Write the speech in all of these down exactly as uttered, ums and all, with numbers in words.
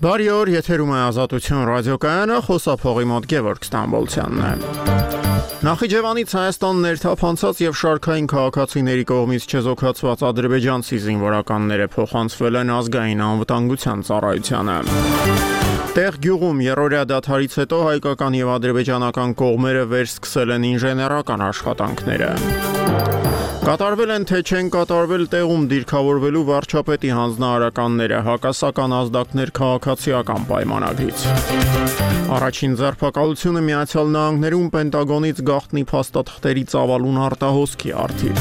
Բարի օր, եթերում է Ազատություն ռադիոկայանը, խոսափողի մոտ Գևորգ Ստամբոլցյանն է։ Նախիջևանից Հայաստան ներթափանցած եւ շարքային քաղաքացիների կողմից չեզոքացված ադրբեջանցի զինվորականները փոխանցվել են ազգային անվտանգության ծառայությանը։ Տեղ գյուղում երրորդյա դադարից հետո հայկական եւ ադրբեջանական կողմերը վերսկսել են ինժեներական աշխատանքները։ Կատարվել են թե չեն կատարվել տեղում դիրքավորվելու վարչապետի հանձնարարականները, հակասական ազդակներ քաղաքացիական պայմանագրից։ Առաջին ձերբակալությունը Միացյալ Նահանգներում Պենտագոնից գաղտնի փաստաթղթերի ծավալուն արտահոսքի առթիվ։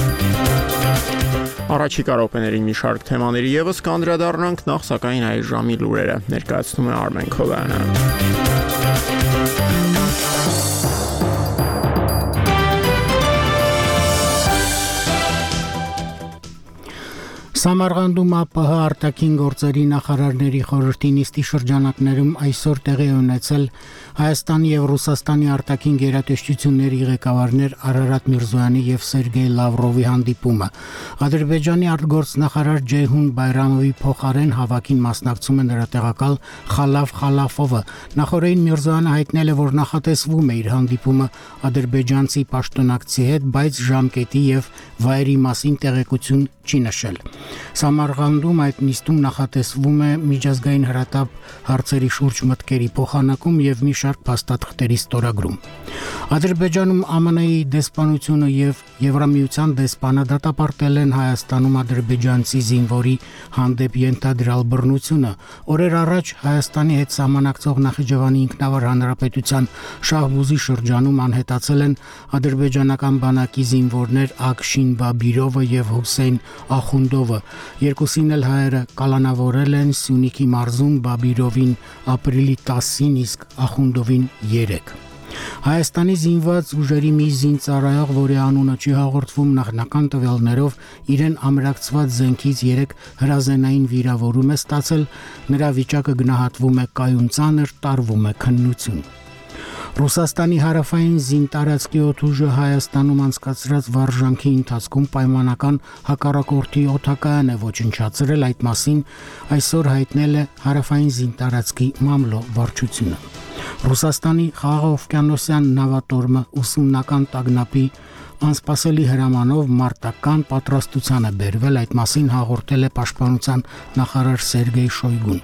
Առաջիկա րոպեներին մի շարք թեմաների ևս կանդրադառնանք, նախ սակայն այս ժամի լուրերը ներկայացնում է Արմեն Քովյանը։ Սամարղանդում ԱՊՀ արտաքին գործերի նախարարների խորհրդի նիստի շրջանակներում այսօր տեղի ունեցել Հայաստանի եւ Ռուսաստանի արտաքին գերատեսչությունների ղեկավարներ Արարատ Միրզոյանի եւ Սերգեյ Լավրովի հանդիպումը։ Ադրբեջանի արտգործնախարար Ջեյհուն Բայրամովի փոխարեն հավաքին մասնակցում է նրա տեղակալ Խալաֆ Խալաֆովը։ Նախորդին Միրզոյանը հայտնել է, որ նախատեսվում է իր հանդիպումը ադրբեջանցի պաշտոնակցի հետ, բայց ժամկետի եւ վայրի մասին տեղեկություն չի նշել։ Սամարղանդում այդ նիստում նախատեսվում է միջազգային հրատապ հարցերի շուրջ մտքերի փոխանակում եւ մի շարք փաստաթղթերի ստորագրում։ Ադրբեջանում ԱՄՆ-ի դեսպանությունը եւ Եվրամիության դեսպանը դատապարտել են Հայաստանում ադրբեջանցի զինվորի հանդեպ ենթադրյալ բռնությունը։ Օրեր առաջ Հայաստանի հետ սահմանակցող Նախիջևանի ինքնավար հանրապետության Շահբուզի շրջանում անհետացել են ադրբեջանական բանակի զինվորներ Ակշին Բաբիրովը եւ Հուսեյն Ախունդովը։ Երկուսին էլ հայերը կալանավորել են Սյունիքի մարզում, Բաբիրովին ապրիլի տասին, իսկ Ախունդովին երեք։ Հայաստանի զինված ուժերի մի զինծառայող, որի անունը չի հաղորդվում, նախնական տվյալներով իրեն ամրակցված զենքից երեք հրազենային վիրավորում է ստացել, նրա վիճակը գնահատվում է կայուն ծանր, տարվում է քննություն։ Ռուսաստանի հարավային զինտարածքի օդուժը Հայաստանում անցկացրած վարժանքի ընթացքում պայմանական հակառակորդի օդակայան է ոչնչացրել, այդ մասին այսօր հայտնել է հարավային զինտարածքի մամլո վարչությունը։ Ռուսաստանի խաղաղօվկիանոսյան նավատորմը ուսումնական տագնապի անսպասելի հրամանով մարտական պատրաստության է բերվել, այդ մասին հաղորդել է պաշտպանության նախարար Սերգեյ Շոյգուն։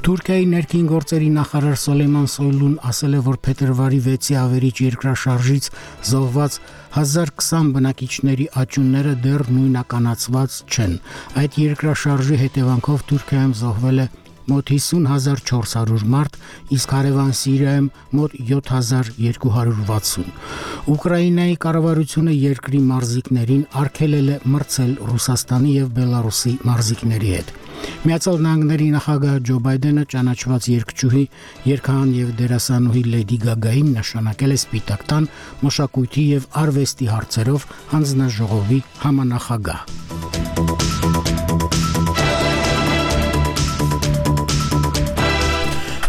Թուրքիայի ներքին գործերի նախարար Սոլեյման Սոյլուն ասել է, որ փետրվարի վեցի ավերիչ երկրաշարժից զոհված հազար քսան բնակիչների աճյունները դեռ նույնականացված չեն։ Այդ երկրաշարժի հետևանքով Թուրքիայում զոհվել է մոտ հիսուն հազար չորս հարյուր մարդ, իսկ հարևան Սիրիայում մոտ յոթ հազար երկու հարյուր վաթսուն։ Ուկրաինայի կառավարությունը երկրի մարզիկներին արգելել է մրցել Ռուսաստանի եւ Բելարուսի մարզիկների հետ։ Միացյալ Նահանգների նախագահ Ջո Բայդենը ճանաչված երգչուհի, երգահան եւ դերասանուհի Լեդի Գագային նշանակել է Սպիտակ տան մշակույթի եւ արվեստի հարցերով հանձնաժողովի համանախագահ։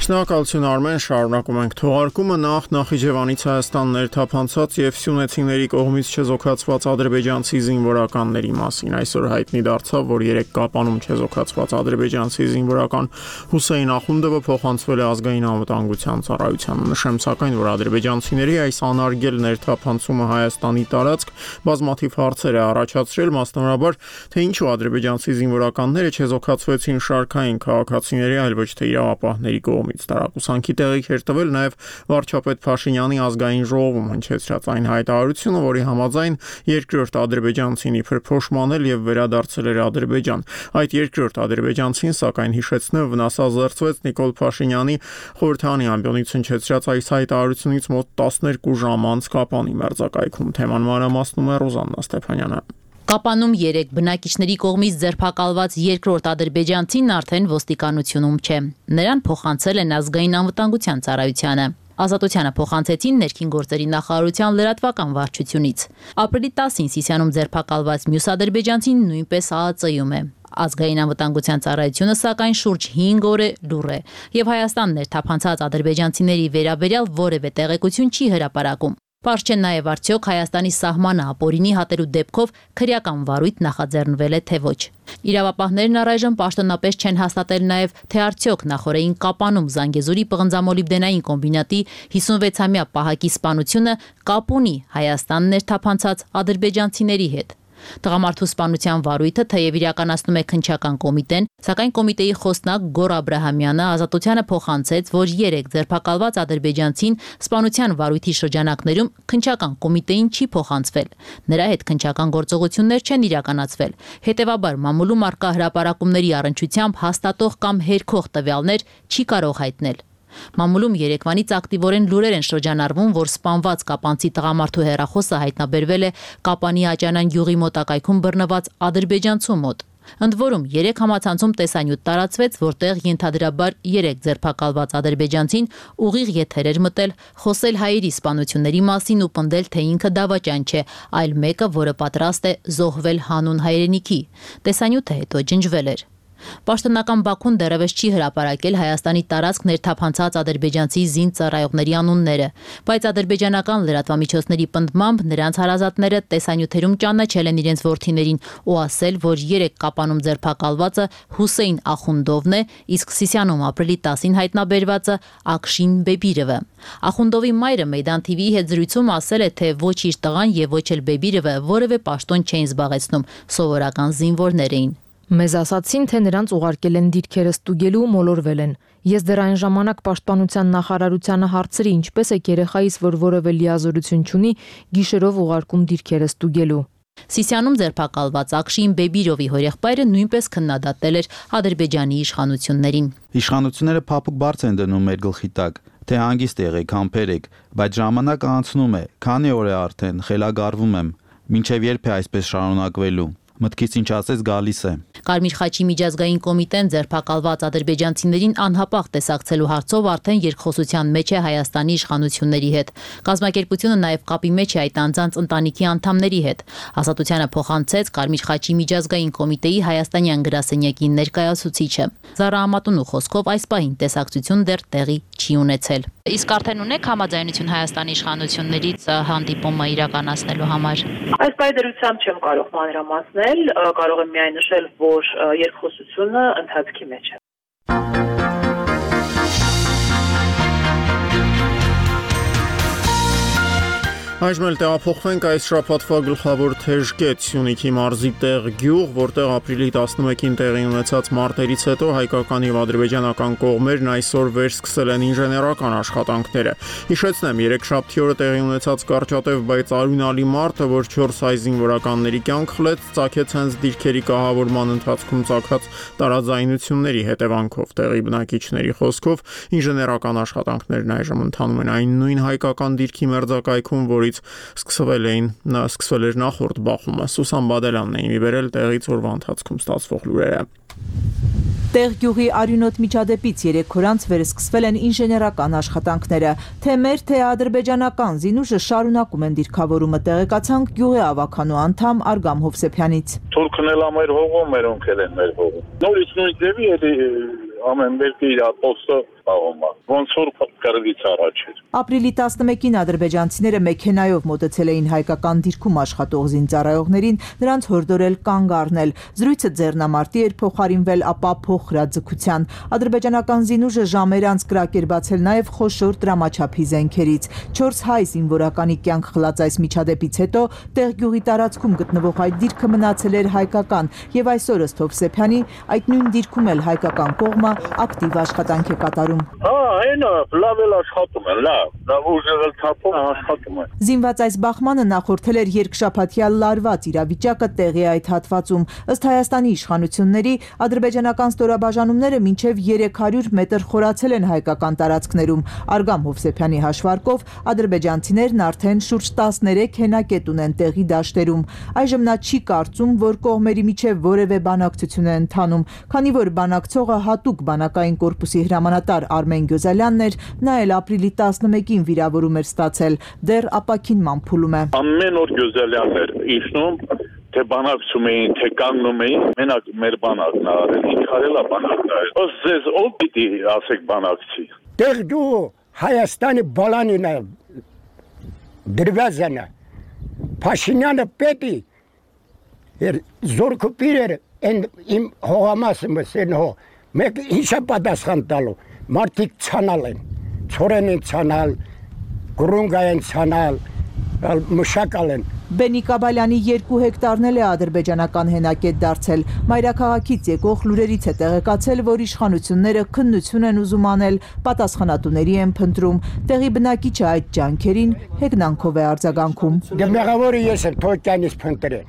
Շնորհակալություն Արմեն, շարունակում ենք թողարկումը։ Նախ Նախիջևանից Հայաստան ներթափանցած եւ սյունեցիների կողմից չեզոքացված ադրբեջանցի զինվորականների մասին այսօր հայտնի դարձավ, որ երեք Կապանում չեզոքացված ադրբեջանցի զինվորական Հուսեյն Ախունդովը փոխանցվել է ազգային անվտանգության ծառայությանը։ Նշեմ սակայն, որ ադրբեջանցիների այս անարգել ներթափանցումը Հայաստանի տարածք բազմաթիվ հարցեր է առաջացրել, մասնավորաբար թե ինչու ադրբեջանցի զինվորականները չեզոքացվեցին շարքային քաղաքացիների, այլ ոչ թե իրավապահների կողմից։ Տարակուսանքի տեղիք էր տվել նաև վարչապետ Փաշինյանի ազգային ժողովում հնչեցրած այն հայտարարությունը, որի համաձայն երկրորդ ադրբեջանցին իբր փոշմանել եւ վերադարձել էր Ադրբեջան։ Այդ երկրորդ ադրբեջանցին, սակայն հիշեցնեմ, վնասազերծվեց Նիկոլ Փաշինյանի խորհրդանի ամբիոնից հնչեցրած այս հայտարարությունից մոտ տասներկու ժամ անց Կապանի մերձակայքում։ Թեման մանրամասնում է Ռոզաննա Ստեփանյանը։ Կապանում երեք բնակիչների կողմից ձերբակալված երկրորդ ադրբեջանցին արդեն ոստիկանությունում չէ։ Նրան փոխանցել են ազգային անվտանգության ծառայությանը։ Ազատությանը փոխանցեցին ներքին գործերի նախարարության լրատվական վարչությունից։ Ապրիլի տասին Սիսիանում ձերբակալված մյուս ադրբեջանցին նույնպես ԱԱԾ-ում է։ Ազգային անվտանգության ծառայությունը սակայն շուրջ հինգ օր է լուռ է եւ Հայաստան ներթափանցած ադրբեջանցիների վերաբերյալ որևէ տեղեկություն չի հրապարակում։ Պարզ չէ նաև արդյոք Հայաստանի սահմանը ապօրինի հատելու դեպքով քրեական վարույթ նախաձեռնվել է թե ոչ։ Իրավապահներն առայժմ պաշտոնապես չեն հաստատել նաև, թե արդյոք նախօրեին Կապանում Զանգեզուրի պղնձամոլիբդենային կոմբինատի հիսունվեցամյա պահակի սպանությունը կապ ունի Հայաստան ներթափանցած ադրբեջանցիների հետ։ Տղամարդու սպանության վարույթը թեև իրականացնում է քննչական կոմիտեն, սակայն կոմիտեի խոսնակ Գոր Աբրահամյանը Ազատությանը փոխանցեց, որ երեք ձերբակալված ադրբեջանցին սպանության վարույթի շրջանակներում քննչական կոմիտեին չի փոխանցվել։ Նրա հետ քննչական գործողություններ չեն իրականացվել։ Հետևաբար մամուլում առկա հրապարակումների առնչությամբ հաստատող կամ հերքող տվյալներ չի կարող հայտնել։ Մամուլում երեկվանից ակտիվորեն լուրեր են շրջանառվում, որ սպանված կապանցի տղամարդու հեռախոսը հայտնաբերվել է Կապանի Աճանան գյուղի մոտակայքում բռնված ադրբեջանցու մոտ։ Ընդ որում երեք համացանցում տեսանյութ տարածվեց, որտեղ ենթադրաբար երեք ձերբակալված ադրբեջանցին ուղիղ եթեր էր մտել, խոսել հայերի սպանությունների մասին ու պնդել, թե ինքը դավաճան չէ, այլ մեկը, որը պատրաստ է զոհվել հանուն հայրենիքի։ Տեսանյութը հետո ջնջվել էր։ Պաշտոնական Բաքուն դեռևս չի հրապարակել Հայաստանի տարածք ներթափանցած ադրբեջանցի զինծ ծառայողների անունները, բայց ադրբեջանական լրատվամիջոցների պնդմամբ նրանց հարազատները տեսանյութերում ճանաչել են իրենց որդիներին ու ասել, որ երեք Կապանում ձերբակալվածը Հուսեյն Ախունդովն է, իսկ Սիսիանում ապրիլի տասին հայտնաբերվածը Ակշին Բեբիրովը։ Ախունդովի մայրը Մեյդան թի վիի հետ զրույցում ասել է, թե ոչ իր տղան եւ ոչ էլ Բեբիրովը որևէ պաշտոն չէին զբաղեցնում, սովորական զինվորներ էին։ Մեզ ասացին, թե նրանց ուղարկել են դիրքերը ստուգելու ու մոլորվել են։ Ես դեռ այն ժամանակ պաշտպանության նախարարությանը հարցրի, ինչպես է երեխայիս, որ որևէ լիազորություն չունի, գիշերով ուղարկում դիրքերը ստուգելու։ Սիսիանում ձերբակալված Ակշին Բեբիրովի հորեղբայրը նույնպես քննադատել էր Ադրբեջանի իշխանություններին։ Իշխանությունները փափուկ բարձ են դնում մեր գլխի տակ, թե հանգիստ եղեք, համբերեք, բայց ժամանակը անցնում է, քանի օր է արդեն, խելագարվում եմ, մինչև երբ է այսպես շարունակվելու։ Մտքից ինչ ասես գալիս է։ Կարմիր խաչի միջազգային կոմիտեն ձերբակալված ադրբեջանցիներին անհապաղ տեսակցելու հարցով արդեն երկխոսության մեջ է Հայաստանի իշխանությունների հետ։ Կազմակերպությունը նաև կապի մեջ է այդ անձանց ընտանիքի անդամների հետ։ Ազատությանը փոխանցեց Կարմիր խաչի միջազգային կոմիտեի հայաստանյան գրասենյակի ներկայացուցիչը։ Զարա Ամատունու խոսքով այս պահին տեսակցություն դեռ տեղի չի ունեցել։ Իսկ արդեն ունեք համաձայնություն Հայաստանի իշխանություններից հանդիպումը իրականացնելու համար։ Այս պայմանությամբ չեմ կարող մանրամասնել, կարող եմ միայն նշել, որ երկխոսությունը ընթացքի մեջ է։ Այժմ էլ տեղափոխվենք այս շաբաթվա գլխավոր թեժկետ Սյունիքի մարզի տեղ գյուղ, որտեղ ապրիլի տասնմեկին տեղի ունեցած մարտերից հետո հայկական եւ ադրբեջանական կողմերն այսօր վերսկսել են ինժեներական աշխատանքները։ Հիշեցնեմ, երեքշաբթի օրը տեղի ունեցած կարճատև, բայց արյունալի մարտը, որ չորս հայ զինվորականների կյանք խլեց, ծագեց հենց դիրքերի կահավորման ընթացքում ծագած տարաձայնությունների հետևանքով։ Տեղի բնակիչների խոսքով ինժեներական աշխատանքներն այժմ ընթանում են այն նույն հայկական դիրքի մերձակայքում, որի Սկսվել էին, նա սկսվել էր նախորդ բախումը։ Սուսան Բադելյանն էին իբերել տեղից օրվա ընթացքում ստացվող լուրերը։ Տեղ գյուղի արյունոտ միջադեպից երեք օր անց վերսկսվել են ինժեներական աշխատանքները։ Թե մեր, թե ադրբեջանական զինուժը շարունակում են դիրքավորումը, տեղեկացանք գյուղի ավականու անդամ Արգամ Հովսեփյանից։ Թուրքն էլ ամեր հողում մեր ունքել են մեր հողում։ Նորից նույն ձևի էլի ամեն մեկը իր ապոստը պահում է։ Ոնց որ կրվից առաջ էր։ Ապրիլի տասնմեկին ադրբեջանցիները մեքենայով մոտեցել էին հայկական դիրքում աշխատող զինծառայողներին, նրանց հորդորել կանգ առնել։ Զրույցը ձեռնամարտի էր փոխարինվել ապա փոխհրաձգության։ Ադրբեջանական զինուժը ժամեր անց կրակերբացել նաև խոշոր դրամաչափի զենքերից։ Չորս հայ զինվորականի կյանք խլած այս միջադեպից հետո տեղ գյուղի տարածքում գտնվող այդ դիրքը մնացել էր հայկական, եւ այսօր ըստ Հովսեփյանի այդ նույն դիրքում էլ հայկական կողմը ակտիվ աշխատանք է կատարում։ Հա, այնա, լավ էլ աշխատում են, լավ, լավ ուժեղել թափում աշխատում են։ Զինված այս բախմանը նախորդել էր երկշաբաթյա լարված իրավիճակը տեղի այդ հատվածում։ Ըստ Հայաստանի իշխանությունների, ադրբեջանական ստորաբաժանումները մինչև երեք հարյուր մետր խորացել են հայկական տարածքներում։ Արգամ Հովսեփյանի հաշվարկով ադրբեջանցիներն արդեն շուրջ տասներեք հենակետ ունեն տեղի դաշտերում։ Այժմ նա չի կարծում, որ կողմերի միջև որևէ բանակցություն է ընթանում, քանի որ բանակցողը հատուկ բանակային կորպուսի հրամանատար Արմեն Գյոզալյանն էր, նա էլ ապրիլի տասնմեկին վիրավորում էր ստացել, դեռ ապակինման փուլում է։ Ամեն օր Գյոզալյանն էր իշխնում, թե բանակցում էին, թե կանգնում էին, մենակ մեր բանակն արել, ինչ արել է բանակն արել։ Ըստ ձեզ ով պիտի ասեք բանակցի։ Դեռ դու Հայաստանի բալանին դրվազանը Փաշինյանը պետի էր զորքը պիրեր են իմ հողամասը մսեն հո մեկ ինչա պատասխան տալու մարդիկ ցանալ են ծորեն են ցանալ գրունգա են ցանալ մշակալ են Բենի Կաբալյանի երկու հեկտարն էլ է ադրբեջանական հենակետ դարձել։ Մայրաքաղաքից եկող լուրերից է տեղեկացել, որ իշխանությունները քննություն են ուզում անել, պատասխանատուների են փնտրում։ Տեղի բնակիչը այդ ջանքերին հեգնանքով է արձագանքում։ Դե մեղավորը ես եմ թոքյանից փնտրել։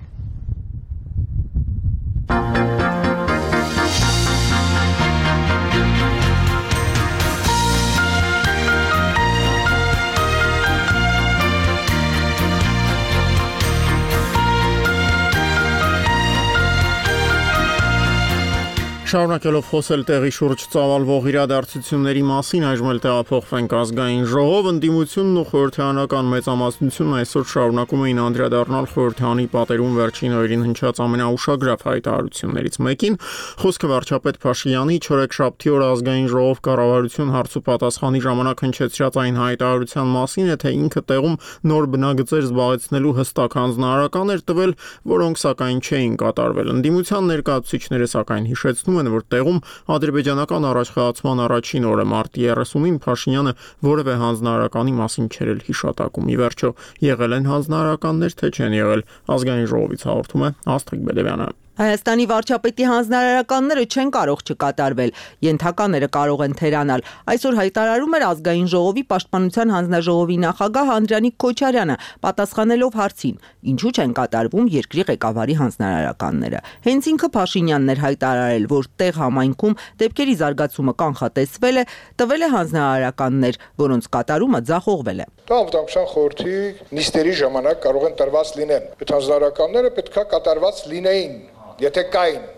Շարունակելով խոսել տեղի շուրջ ծավալվող իրադարձությունների մասին, այժմ էլ տեղափոխվենք ազգային ժողով, ընդդիմությունն ու խորհրդարանական մեծամասնությունն այսօր շարունակում էին անդրադառնալ խորհրդարանի պատերում վերջին օրերին հնչած ամենաուշագրավ հայտարարություններից մեկին, խոսքը վարչապետ Փաշինյանի չորեքշաբթի օր ազգային ժողով կառավարություն հարցու պատասխանի ժամանակ հնչեցրած այն հայտարարության մասին է, թե ինքը տեղում նոր բնագծեր զբաղեցնելու հստակ հանձնարարական էր տվել, որոնք սակայն չէին կատարվել։ Ընդդիմության ներկայացուցիչները սակայն հիշեցնում որ տեղում ադրբեջանական առաջխաղացման առաջին օրը մարտի երեսունին Փաշինյանը որևէ հանձնարարականի մասին չէր էլ հիշատակում։ Ի վերջո եղել են հանձնարարականներ, թե չեն եղել, ազգային ժողովից հաղորդում է Աստղիկ Բեդևյանը։ Հայաստանի վարչապետի հանձնարարականները չեն կարող չկատարվել, ենթակաները կարող են թերանալ։ Այսօր հայտարարում էր ազգային ժողովի պաշտպանության հանձնաժողովի նախագահ Անդրանիկ Քոչարյանը, պատասխանելով հարցին, ինչու չեն կատարվում երկրի ղեկավարի հանձնարարականները։ Հենց ինքը Փաշինյանն էր հայտարարել, որ տեղ համայնքում դեպքերի զարգացումը կանխատեսվել է, տվել է հանձնարարականներ, որոնց կատարումը ձախողվել է։ Դա անվտանգության խորհրդի նիստերի ժամանակ կարող են տրված լինեն։ Այդ հանձնարարականները պետքա կատարված լինեին, եթե կային։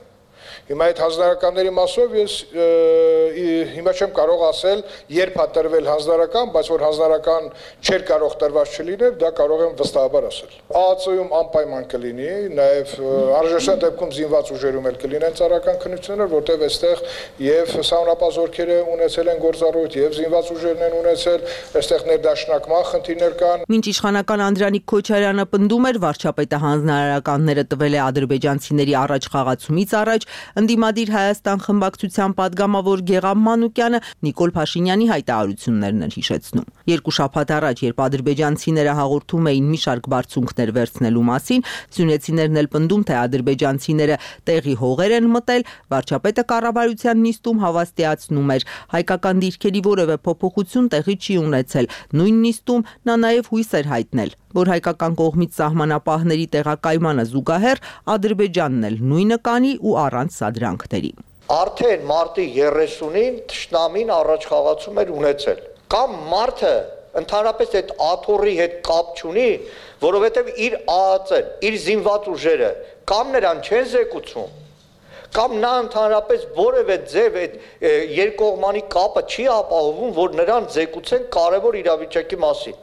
Հիմա այդ հանձնարարականների մասով ես հիմա չեմ կարող ասել, երբ է տրվել հանձնարարական, բայց որ հանձնարարական չէր կարող տրված չլիներ, դա կարող եմ վստահաբար ասել։ ԱԱԾ-ում անպայման կլինի, նաև անհրաժեշտ դեպքում զինված ուժերում էլ կլինեն ծառայական քննություններ, որտեղ այստեղ եւ սահմանապահ զորքերը ունեցել են գործառույթ, եւ զինված ուժերն են ունեցել, այստեղ ներդաշնակման խնդիրներ կան։ Մինչ իշխանական Անդրանիկ Քոչարյանը պնդում էր, վարչապետը հանձնարարականները տվել է ադրբեջանցիների առաջ խաղացումից առաջ, ընդդիմադիր Հայաստան խմբակցության падգամավոր Գեղամ Մանուկյանը Նիկոլ Փաշինյանի հայտարարություններն էր հիշեցնում։ Երկու շաբաթ առաջ, երբ ադրբեջանցիները հաղորդում էին մի շարք բարձունքներ վերցնելու մասին, սյունեցիներն էլ պնդում, թե ադրբեջանցիները տեղի հողեր են մտել, վարչապետը կառավարության նիստում հավաստիացնում էր, հայկական դիրքերի որևէ փոփոխություն տեղի չի ունեցել։ Նույն նիստում նա նաև հույս էր հայտնել, որ հայկական կողմից սահմանապահների տեղակայմանը զուգահեռ Ադրբեջանն էլ նույնը կանի ու առանց սադրանքների։ Արդեն մարտի երեսունին թշնամին առաջխաղացում էր ունեցել։ Կամ մարդը ընդհանրապես այդ աթոռի հետ կապ չունի, որովհետև իր ԱԱԾ-ն, իր զինված ուժերը կամ նրան չեն զեկուցում, կամ նա ընդհանրապես որևէ ձև այդ երկկողմանի կապը չի ապահովում, որ նրան զեկուցեն կարևոր իրավիճակի մասին։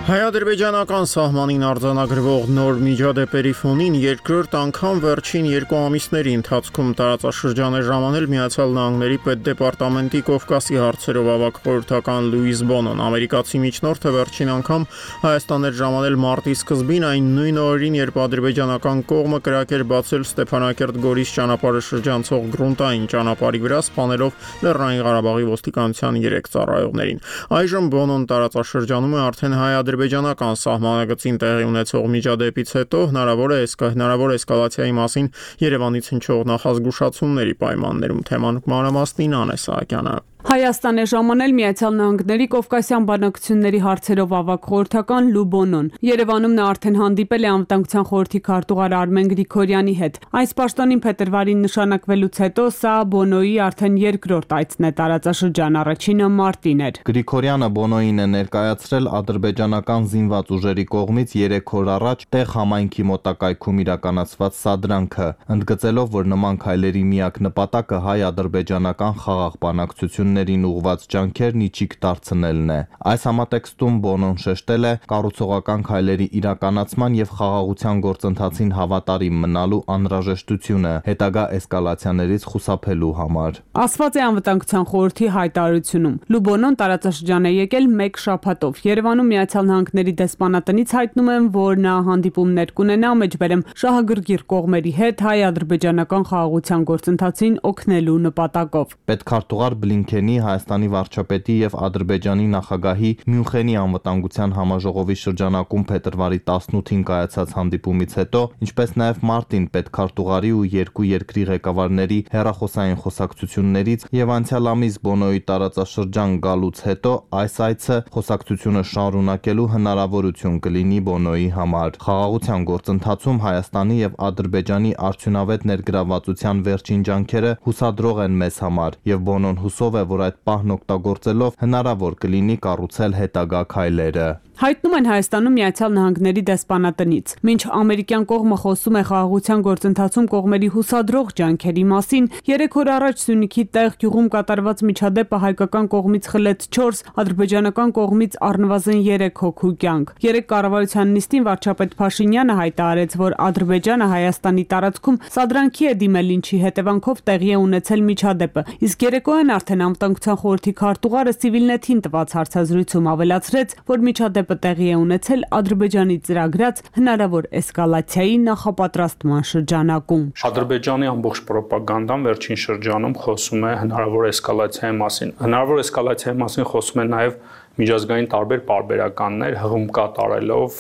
Հայ-ադրբեջանական սահմանին արձանագրվող նոր միջադեպերի ֆոնին երկրորդ անգամ վերջին երկու ամիսների ընթացքում տարածաշրջան է ժամանել Միացյալ Նահանգների պետդեպարտամենտի Կովկասի հարցերով ավագ խորհրդական Լուիս Բոնոն։ Ամերիկացի միջնորդը վերջին անգամ Հայաստան էր ժամանել մարտի սկզբին, այն նույն օրերին, երբ ադրբեջանական կողմը կրակ էր բացել Ստեփանակերտ-Գորիս ճանապարհը շրջանցող գրունտային ճանապարհի վրա, սպանելով Լեռնային Ղարաբաղի ոստիկանության երեք ծառայողներին։ Այժմ Բոնոն տարածաշրջանում է արդեն հայ ադրբեջանական սահմանագծին տեղի ունեցող միջադեպից հետո հնարավոր է հնարավոր էսկալացիայի մասին Երևանից հնչող նախազգուշացումների պայմաններում թեման մանրամասնին Անե Սահակյանը։ Հայաստան է ժամանել Միացյալ Նահանգների Կովկասյան բանակցությունների հարցերով ավագ խորհրդական Լու Բոնոն։ Երևանում նա արդեն հանդիպել է անվտանգության խորհրդի քարտուղար Արմեն Գրիգորյանի հետ։ Այս պաշտոնին փետրվարին նշանակվելուց հետո սա Բոնոյի արդեն երկրորդ այցն է տարածաշրջան, առաջինը մարտին էր։ Գրիգորյանը Բոնոյին է ներկայացրել ադրբեջանական զինված ուժերի կողմից երեք օր առաջ տեղ համայնքի մոտակայքում իրականացված սադրանքը, ընդգծելով, որ նման քայլերի միակ նպատակը հայ-ադրբեջանական խաղաղ բանակցություններ կառավարություններին ուղղված ջանքերն իջիկ դարձնելն է։ Այս համատեքստում Բոնոն շեշտել է կառուցողական քայլերի իրականացման եւ խաղաղության գործընթացին հավատարիմ մնալու անհրաժեշտությունը հետագա էսկալացիաներից խուսափելու համար։ Ասված է Անվտանգության խորհրդի հայտարարությունում։ Լուբոնոն տարածաշրջան է եկել մեկ շաբաթով։ Երևանում Միացյալ Նահանգների դեսպանատնից հայտնում են, որ նա հանդիպումներ կունենա մեջբերեմ շահագրգիռ կողմերի հետ հայ-ադրբեջանական խաղաղության գործընթացին օգնելու նպատակով։ Պետքարտուղար Բլինքենի, Հայաստանի վարչապետի եւ Ադրբեջանի նախագահի Մյունխենի անվտանգության համաժողովի շրջանակում փետրվարի տասնութին կայացած հանդիպումից հետո, ինչպես նաեւ մարտին պետքարտուղարի ու երկու երկրի ղեկավարների հեռախոսային խոսակցություններից եւ անցյալ ամիս Բոնոյի տարածաշրջան գալուց հետո այս այցը խոսակցությունը շարունակելու հնարավորություն կլինի Բոնոյի համար։ Խաղաղության գործընթացում Հայաստանի եւ Ադրբեջանի արդյունավետ ներգրավվածության վերջին ջանքերը հուսադրող են մեզ համար եւ Բոնոն հուսով է, որ այդ պահն օգտագործելով հնարավոր կլինի կառուցել հետագա քայլերը։ Հայտնում են Հայաստանում Միացյալ Նահանգների դեսպանատնից։ Մինչ ամերիկյան կողմը խոսում է խաղաղության գործընթացում կողմերի հուսադրող ջանքերի մասին, երեք օր առաջ Սյունիքի տեղ գյուղում կատարված միջադեպը հայկական կողմից խլեց չորս, ադրբեջանական կողմից առնվազն երեք հոգու կյանք։ Երեք կառավարության նիստին վարչապետ Փաշինյանը հայտարարեց, որ Ադրբեջանը Հայաստանի տարածքում սադրանքի է դիմել, ինչի հետևանքով տեղի է ունեցել միջադեպը։ Իսկ երեկոյան արդեն Անվտանգության խորհրդի քարտուղարը Civilnet-ին տված հարցազրույցում ավելացրեց, որ միջադեպը տեղի է ունեցել Ադրբեջանի ծրագրած հնարավոր էսկալացիայի նախապատրաստման շրջանակում։ Ադրբեջանի ամբողջ ռոպագանդան վերջին շրջանում խոսում է հնարավոր էսկալացիայի մասին։ Հնարավոր էսկալացիայի մասին խոսում է նաև միջազգային տարբեր պարբերականներ հղում կատարելով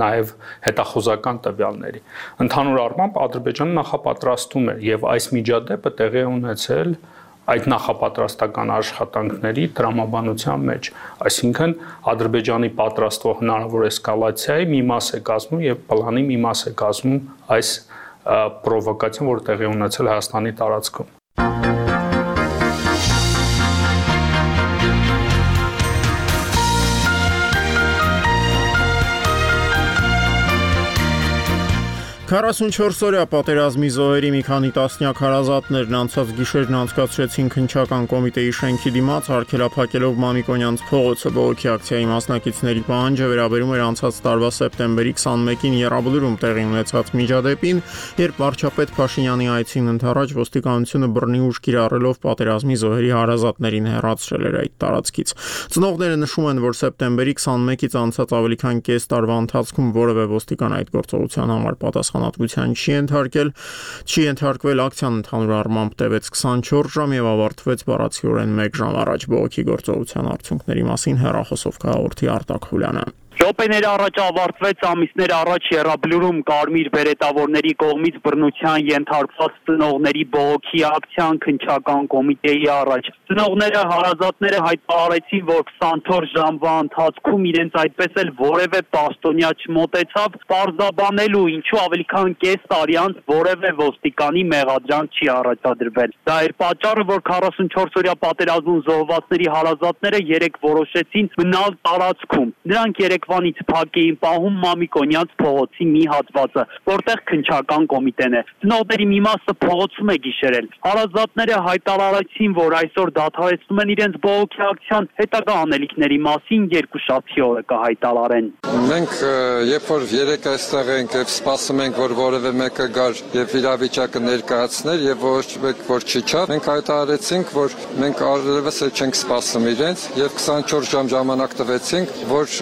նաև հետախուզական տվյալների։ Ընդհանուր առմամբ Ադրբեջանը նախապատրաստում է եւ այս միջադեպը տեղի է ունեցել այդ նախապատրաստական աշխատանքների տրամաբանության մեջ, այսինքն Ադրբեջանի պատրաստվող հնարավոր էսկալացիայի մի մաս է կազմում եւ պլանի մի մաս է կազմում այս պրովոկացիան, որ տեղի ունեցել Հայաստանի տարածքում։ քառասունչորս օրյա պատերազմի զոհերի մի քանի տասնյակ հարազատներն անցած գիշերն անցկացրեցին քննչական կոմիտեի շենքի դիմաց արգելափակելով Մամիկոնյանց փողոցը։ Բողոքի ակցիայի մասնակիցների պահանջը վերաբերում էր անցած տարվա սեպտեմբերի քսանմեկին Եռաբլուրում տեղի ունեցած միջադեպին, երբ վարչապետ Փաշինյանի այցին ընդառաջ ոստիկանությունը բռնի ուժ կիրառելով պատերազմի զոհերի հարազատներին հեռացրել էր այդ տարածքից։ Ծնողները նշում են, որ սեպտեմբերի քսանմեկից անցած ավելի քան կես տարվա ընթացքում որևէ ոստիկան այդ գործողության համար պատասխան չի ենթարկել, չի ենթարկվել ակցիան ընդհանուր առմամբ տևեց քսանչորս ժամ եւ ավարտվեց բառացիորեն մեկ ժամ առաջ։ Բողոքի գործողության արդյունքների մասին հեռախոսով կհաղորդի Արտակ Խուլյանը։ Րոպեներ առաջ ավարտվեց ամիսներ առաջ Եռաբլուրում կարմիր բերետավորների կողմից բռնության ենթարկված ծնողների բողոքի ակցիան քննչական կոմիտեի առաջ։ Ծնողները, հարազատները հայտարարեցին, որ քսանչորս ժամվա ընթացքում իրենց այդպես էլ որևէ պաշտոնյա չմոտեցավ պարզաբանելու, ինչու ավելի քան կես տարի անց որևէ ոստիկանի մեղադրանք չի առաջադրվել։ Դա էր պատճառը, որ քառասունչորս օրյա պատերազմում զոհվածների հարազատները երեք որոշեցին մնալ տարածքում։ Նրանք երեք Վանից փակ էին պահում Մամիկոնյանց փողոցի մի հատվածը, որտեղ քննչական կոմիտեն է։ Ծնողների մի մասը փողոցում է գիշերել։ Հարազատները հայտարարեցին, որ այսօր դադարեցնում են իրենց բողոքի ակցիան, հետագա անելիքների մասին երկուշաբթի օրը կհայտարարեն։ Մենք երբ որ երեք այստեղ ենք եւ սպասում ենք, որ որևէ մեկը գար եւ իրավիճակը ներկայացներ եւ ոչ մեկ որ չիջա, մենք հայտարարեցինք, որ մենք առևս չենք սպասում իրենց եւ քսանչորս ժամ ժամանակ տվեցինք, որ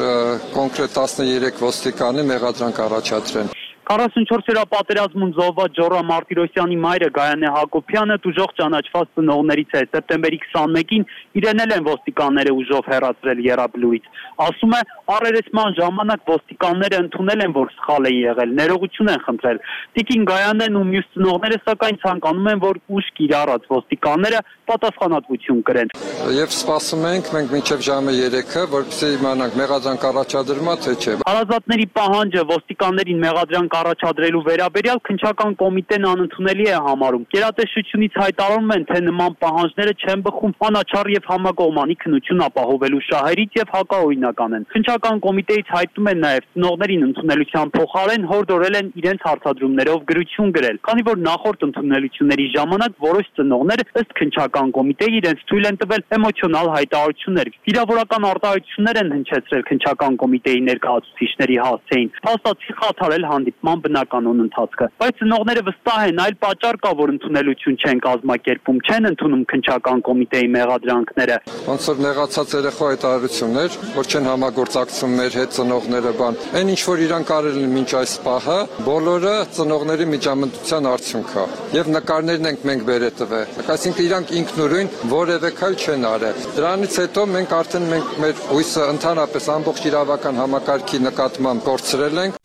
կոնկրետ տասներեք ոստիկանի մեղադրանք առաջադրեն։ քառասունչորս օրյա պատերազմում զոհված Ջորա Մարտիրոսյանի մայրը Գայանե Հակոբյանը ուժեղ ճանաչված ծնողներից է։ Սեպտեմբերի քսանմեկին իրեն էլ են ոստիկանները ուժով հեռացրել Եռաբլուրից։ Ասում է, առերեսման ժամանակ ոստիկանները ընդունել են, որ սխալ է եղել, ներողություն են խնդրել։ Տիկին Գայանեն ու մյուս ծնողները սակայն ցանկանում են, որ ուժ կիրառած ոստիկանները պատասխանատվություն կրեն։ Եվ սպասում ենք մենք մինչև ժամը երեքը, որպեսզի իմանանք մեղադրանք առաջադրումա թե չէ։ Հարազատների պահանջը ոստիկաններին մեղադրանք առաջադրելու վերաբերյալ քննչական կոմիտեն անընդունելի է համարում։ Գերատեսչությունից հայտարարում են, թե նման պահանջները չեն բխում անաչառ եւ համակողմանի քննություն ապահովելու շահերից եւ հակաօրինական են։ Քննչական Քննչական կոմիտեից հայտնում են նաև ծնողներին ընդունելության փոխարեն հորդորել են իրենց հարցադրումներով գրություն գրել, քանի որ նախորդ ընդունելությունների ժամանակ որոշ ծնողներ ըստ քննչական կոմիտեի իրենց թույլ են տվել էմոցիոնալ հայտարարություններ։ Վիրավորական արտահայտություններ են հնչեցրել քննչական կոմիտեի ներկայացուցիչների հասցեին, փաստացի խաթարել հանդիպման բնականոն ընթացքը։ Բայց ծնողները վստահ են, այլ պատճառ կա, որ ընդունելություն չեն կազմակերպում, չեն ընդունում քննչական կոմիտեի մեղադրանքները։ Ոնց որ նեղացած երեխա հայտարարություններ, որ չեն համագործակցում մեր հետ ծնողները բան։ Այն ինչ որ իրանք արել են մինչ այս պահը, բոլորը ծնողների միջամտության արդյունք է։ Եվ նկարներն ենք մենք բերել տվել։ Այսինքն իրանք ինքնուրույն որևէ քայլ չեն արել։ Դրանից հետո մենք արդեն մենք մեր հույսը ընդհանրապես ամբողջ իրավական համակարգի նկատմամբ կորցրել ենք։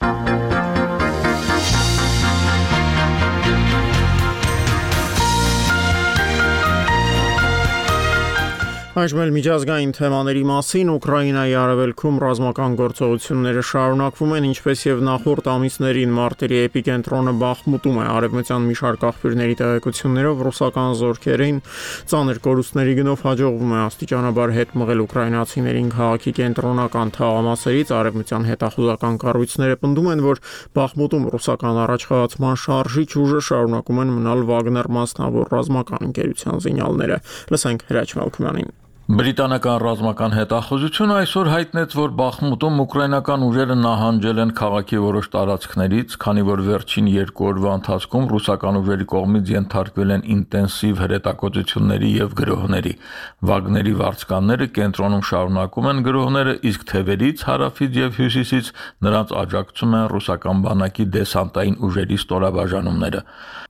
Այժմ էլ միջազգային թեմաների մասին Ուկրաինայի արևելքում ռազմական գործողությունները շարունակվում են, ինչպես եւ նախորդ ամիսներին մարտերի էպիկենտրոնը Բախմուտում է։ Արևմտյան մի շարք աղբյուրների տեղեկություններով ռուսական զորքերին ծանր կորուստների գնով հաջողվում է աստիճանաբար հետ մղել ուկրաինացիներին քաղաքի կենտրոնական թաղամասերից։ Արևմտյան հետախուզական կառույցները պնդում են, որ Բախմուտում ռուսական առաջխաղացման շարժիչ ուժը շարունակում են մնալ Վագներ մասնավոր ռազմական ընկերության զինյալները։ Լսենք Հրաչ Մալքումյանին։ Բրիտանական ռազմական հետախուզությունը այսօր հայտնեց, որ Բախմուտում ուկրաինական ուժերը նահանջել են քաղաքի որոշ տարածքներից, քանի որ վերջին երկու օրվա ընթացքում ռուսական ուժերի կողմից ենթարկվել են ինտենսիվ հրետակոծությունների եւ գրոհների։ Վագների վարձկանները կենտրոնում շարունակում են գրոհները, իսկ թևերից, հարավից եւ հյուսիսից նրանց աջակցում են ռուսական բանակի դեսանտային ուժերի ստորաբաժանումները։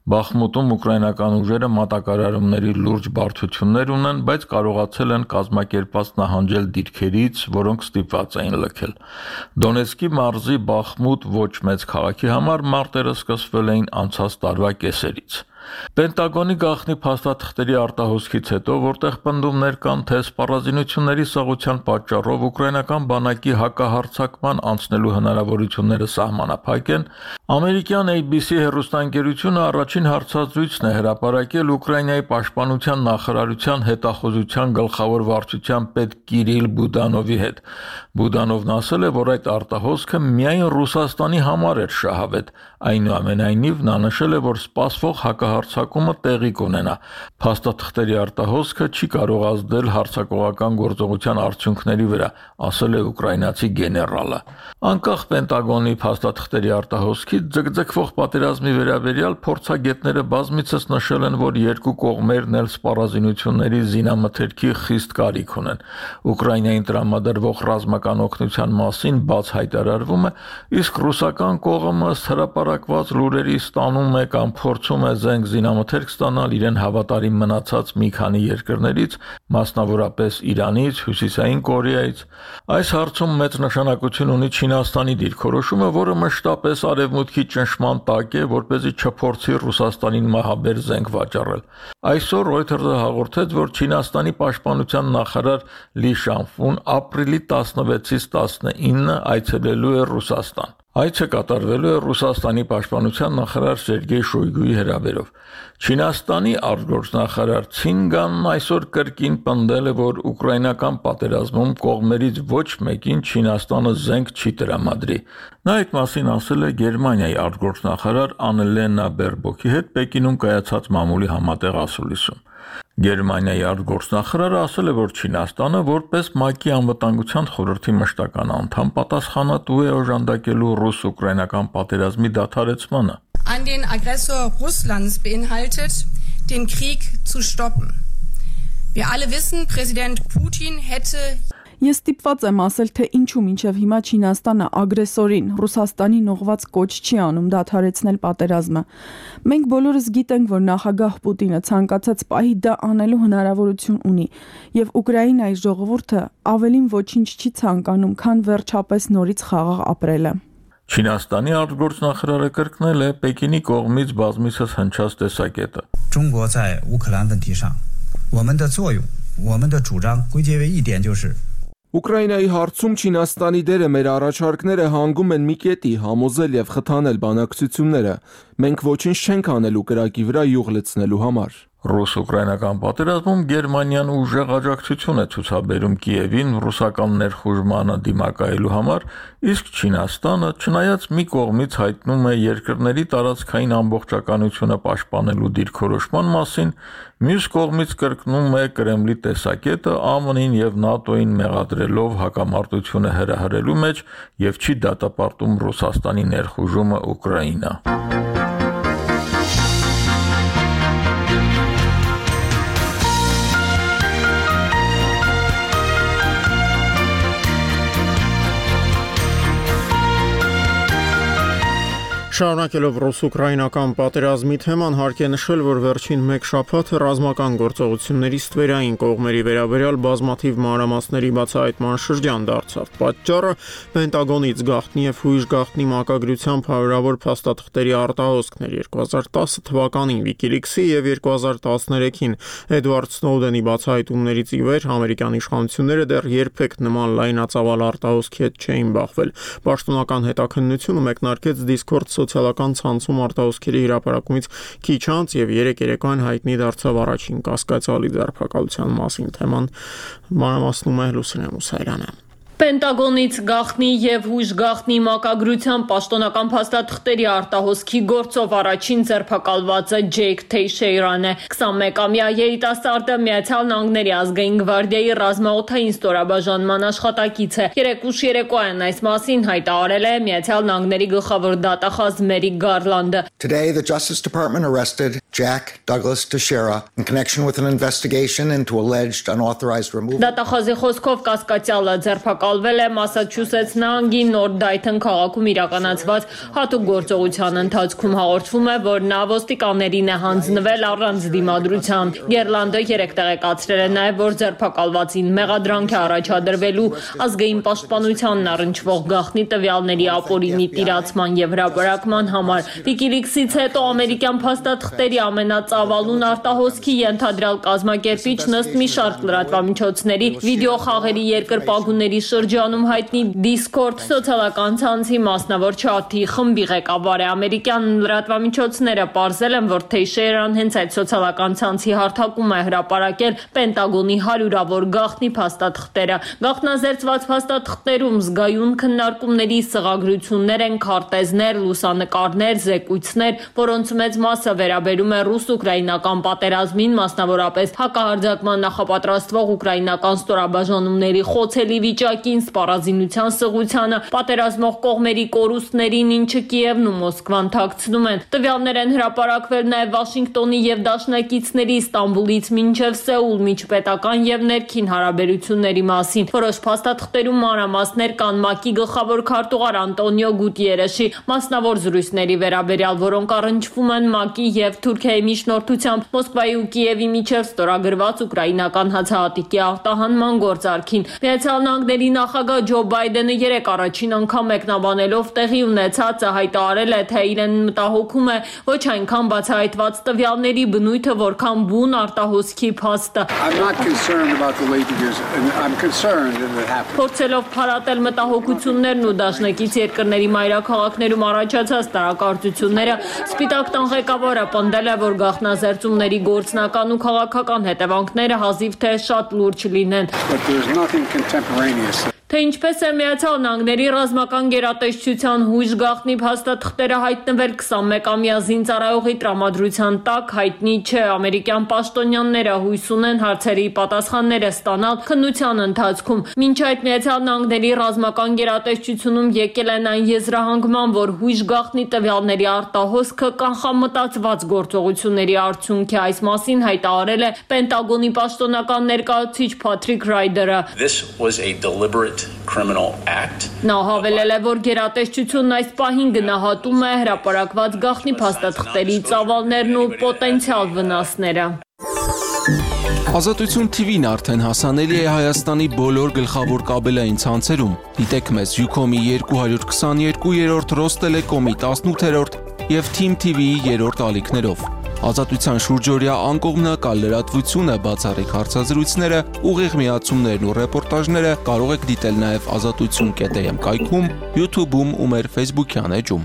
Բախմուտում ուկրաինական ուժերը մատակարարումների լուրջ բարդություններ ունեն, բայց կարողացել են կազմակերպած նահանջել դիրքերից, որոնք ստիպված էին լքել։ Դոնեցկի մարզի Բախմուտ ոչ մեծ քաղաքի համար մարտերը սկսվել էին անցած տարվա կեսերից։ Պենտագոնի գաղտնի փաստաթղթերի արտահոսքից հետո, որտեղ պնդումներ կան, թե սպառազինությունների սղության պատճառով ուկրաինական բանակի հակահարձակման անցնելու հնարավորությունները սահմանափակ են, ամերիկյան A B C հեռուստաընկերությունը առաջին հարցազրույցն է հրապարակել Ուկրաինայի պաշտպանության նախարարության հետախուզության գլխավոր վարչության պետ Կիրիլ Բուդանովի հետ։ Բուդանովն ասել է, որ այդ արտահոսքը միայն Ռուսաստանի համար էր շահավետ, այնուամենայնիվ նա նշել է, որ սպասվող հակահարձակումը տեղի կունենա։ Փաստաթղթերի արտահոսքը չի կարող ազդել հարձակողական գործողության արդյունքների վրա, ասել է ուկրաինացի գեներալը։ Անկախ Պենտագոնի փաստաթղթերի արտահոսքից ձգձգվող պատերազմի վերաբերյալ փորձագետները բազմիցս նշել են, որ երկու կողմերն էլ սպառազինությունների զինամթերքի խիստ կարիք ունեն։ Ուկրաինային տրամադրվող ռազմական օգնության մասին բաց հայտարարվում է, իսկ ռուսական կողմը հրապարակված լուրերի ստանում է կամ փորձում է զենք զինամթերք ստանալ իրեն հավատարիմ մնացած մի քանի երկրներից, մասնավորապես Իրանից, Հյուսիսային Կորեայից։ Այս հարցում մեծ նշանակություն ունի Չինաստանի դիրքորոշումը, որը մշտապես արևմուտքի ճնշման տակ է, որպեսզի չփորձի Ռուսաստանին մահաբեր զենք վաճառել։ Այսօր Reuters-ը հաղորդեց, որ Չինաստանի պաշտպանության նախարար Լի Շանֆուն ապրիլի տասնվեցից տասնինը այցելելու է Ռուսաստան։ Այցը կատարվելու է Ռուսաստանի պաշտպանության նախարար Սերգեյ Շոյգուի հրավերով։ Չինաստանի արտգործնախարար Ցինգանն այսօր կրկին պնդել է, որ ուկրաինական պատերազմում կողմերից ոչ մեկին Չինաստանը զենք չի տրամադրի։ Նա այդ մասին ասել է Գերմանիայի արտգործնախարար Աննելենա Բերբոկի հետ Պեկինում կայացած մամուլի համատեղ ասուլիսում։ Գերմանիայի արտգործնախարարը ասել է, որ Չինաստանը որպես ՄԱԿ-ի անվտանգության խորհրդի մշտական անդամ պատասխանատու է օժանդակելու ռուս-ուկրաինական պատերազմի դադարեցմանը։ An den Aggressor Russlands beinhaltet, den Krieg zu stoppen. Wir alle wissen, Präsident Putin hätte Ես ստիպված եմ ասել, թե ինչու մինչև հիմա Չինաստանը ագրեսորին Ռուսաստանին ուղղված կոչ չի անում դադարեցնել պատերազմը։ Մենք բոլորս գիտենք, որ նախագահ Պուտինը ցանկացած պահի դա անելու հնարավորություն ունի, եւ Ուկրաինայի ժողովուրդը ավելին ոչինչ չի ցանկանում, քան վերջապես նորից խաղաղ ապրելը։ Չինաստանի արտգործնախարարը կրկնել է Պեկինի կողմից բազմիցս հնչած տեսակետը։ 中国在乌克兰问题上，我们的作用，我们的主张归结为一点就是 Ուկրաինայի հարցում Չինաստանի դերը մեր առաջարկները հանգում են մի կետի համոզել եւ խթանել բանակցությունները։ Մենք ոչինչ չենք անելու կրակի վրա յուղ լցնելու համար։ Ռուս-ուկրաինական պատերազմում Գերմանիան ուժեղ աջակցություն է ցուցաբերում Կիևին ռուսական ներխուժմանը դիմակայելու համար, իսկ Չինաստանը, չնայած մի կողմից հայտնում է երկրների տարածքային ամբողջականությունը պաշտպանելու դիրքորոշման մասին, մյուս կողմից կրկնում է Կրեմլի տեսակետը ԱՄՆ-ին եւ ՆԱՏՕ-ին մեղադրելով հակամարտությունը հրահրելու մեջ եւ չի դատապարտում Ռուսաստանի ներխուժումը Ուկրաինա։ Շարունակելով ռուս-ուկրաինական պատերազմի թեման, հարկ է նշել, որ վերջին մեկ շաբաթը ռազմական գործողությունների ստվերային կողմերի վերաբերյալ բազմաթիվ մանրամասների բացահայտման շրջան դարձավ։ Պատճառը Պենտագոնից գաղտնի եւ հույժ գաղտնի մակագրությամբ հարյուրավոր փաստաթղթերի արտահոսքներ երկու հազար տասը թվականին WikiLeaks-ի եւ երկու հազար տասներեքին Էդվարդ Սնոուդենի բացահայտումներից ի վեր ամերիկյան իշխանությունները դեռ երբեք նման լայնածավալ արտահոսքի հետ չէին բախվել։ Պաշտոնական հետաքննությունը մեկնարկեց Discord սոցիալական ցանցում արտահոսքերի հրապարակումից քիչ անց եւ երեք երեկոյան հայտնի դարձավ առաջին կասկածալի ձերբակալության մասին թեման մանրամասնում է Լուսինե Մուսայելյանը։ Պենտագոնից գաղտնի եւ հույժ գաղտնի մակագրությամբ պաշտոնական փաստաթղթերի արտահոսքի գործով առաջին ձերբակալվածը Ջեյք Թեյշեյրան է։ քսանմեկամյա երիտասարդը Միացյալ Նահանգների ազգային գվարդիայի ռազմաօդային ստորաբաժանման աշխատակից է։ Երեք ուշ երեկոյան այս մասին հայտարարել է Միացյալ Նահանգների գլխավոր դատախազ Մերիք Գարլանդը։ Today the Justice Department arrested Jack Douglas Teixeira in connection with an investigation into alleged unauthorized removal. Դատախազի խոսքով կասկածյալը ձերբակալվել է Մասաչուսեթս նահանգի Նորթ Դայթոն քաղաքում իրականացված հատուկ գործողության ընթացքում հաղորդվում է, որ նա ոստիկաններին է հանձնվել առանց դիմադրության։ Գերլանդը երեք տեղեկացրել է նաև, որ ձերբակալվածին մեղադրանք է առաջադրվելու ազգային պաշտպանությանն առնչվող գաղտնի տվյալների ապօրինի տիրացման եւ հրապարակման համար։ WikiLeaks-ից հետո ամերիկյան փաստաթղթերի ամենածավալուն արտահոսքի ենթադրյալ կազմակերպիչն ըստ մի շարք լրատվամիջոցների վիդեոխաղերի երկրպագուների շրջանում հայտնի Discord սոցիալական ցանցի մասնավոր չաթի խմբի ղեկավար է։ Ամերիկյան լրատվամիջոցները պարզել են, որ Թեյշեյրան հենց այդ սոցիալական ցանցի հարթակում է հրապարակել Պենտագոնի հարյուրավոր գաղտնի փաստաթղթերը։ Գաղտնազերծված փաստաթղթերում զգայուն քննարկումների սղագրություններ են, քարտեզներ, լուսանկարներ, զեկույցներ, որոնց մեծ մասը վերաբերում է ռուս-ուկրաինական պատերազմին, մասնավորապես հակահարձակման նախապատրաստվող ուկրաինական ստորաբաժանումների խոցելի վիճակին, սպառազինության սղությանը, պատերազմող կողմերի կորուստներին, ինչը Կիևն ու Մոսկվան թաքցնում են։ Տվյալներ են հրապարակվել նաև Վաշինգտոնի եւ դաշնակիցների Ստամբուլից մինչև Սեուլ միջպետական եւ ներքին հարաբերությունների մասին։ Որոշ փաստաթղթերում մանրամասներ կան ՄԱԿ-ի գլխավոր քարտուղար Անտոնիո Գուտիերեշի մասնավոր զրույցների վերաբերյալ, որոնք առնչվում են ՄԱԿ-ի եւ Թուրքիայի միջնորդությամբ Մոսկվայի ու Կիևի միջև ստորագրված ուկրաինական հացահատիկի արտահանման գործարքին։ Միացյալ Նահանգների նախագահ Ջո Բայդենը երեք առաջին անգամ մեկնաբանելով տեղի ունեցածը հայտարարել է, թե իրեն մտահոգում է ոչ այնքան բացահայտված տվյալների բնույթը, որքան բուն արտահոսքի փաստը։ Փորձելով փարատել մտահոգություններն ու դաշնակից երկրների մայրաքաղաքներում առաջացած տարակարծությունները, Սպիտակ տան ղեկավարը պնդել է, որ գաղտնազերծումների գործնական ու քաղաքական հետևանքները հազիվ թե շատ լուրջ լինեն։ Թե ինչպես է Միացյալ Նահանգների ռազմական գերատեսչության հույժ գաղտնի փաստաթղթերը հայտնվել քսանմեկամյա զինծառայողի տրամադրության տակ, հայտնի չէ։ Ամերիկյան պաշտոնյաները հույս ունեն հարցերի պատասխանները ստանալ քննության ընթացքում։ Մինչ այդ Միացյալ Նահանգների ռազմական գերատեսչությունում եկել են այն եզրահանգման, որ հույժ գաղտնի տվյալների արտահոսքը կանխամտածված գործողությունների արդյունք է։ Այս մասին հայտարարել է Պենտագոնի պաշտոնական ներկայացուցիչ Փաթրիկ Ռայդերը։ This was a deliberate criminal act. Նա հավելել է, որ գերատեսչությունն այս պահին գնահատում է հրապարակված գաղտնի փաստաթղթերի ծավալներն ու պոտենցիալ վնասները։ Ազատություն Թի Վին արդեն հասանելի է Հայաստանի բոլոր գլխավոր կաբելային ցանցերում։ Դիտեք մեզ Յուքոմի երկու հարյուր քսաներկու, Ռոստելեկոմի տասնութերորդ եւ Թիմ Թի Վիի երրորդ ալիքներով։ Ազատության շուրջօրյա անկողմնակալ լրատվությունը, բացառիկ հարցազրույցները, ուղիղ միացումներն ու ռեպորտաժները կարող եք դիտել նաև ազատություն կետ էմ կայքում, YouTube-ում ու մեր Facebook-յան էջում։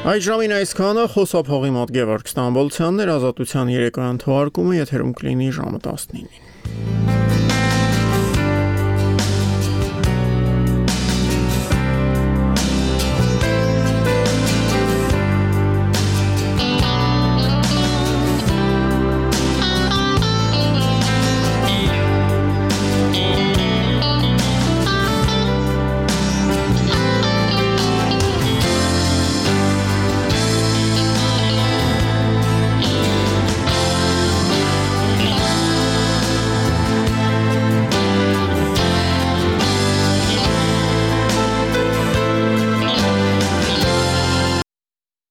Այդ ժամին այսքանը խոսափողի մոտ Գևորգ Ստամբոլցյանն էր, Ազատության երեկոյան թողարկումը եթերում կլինի ժամը տասնինին։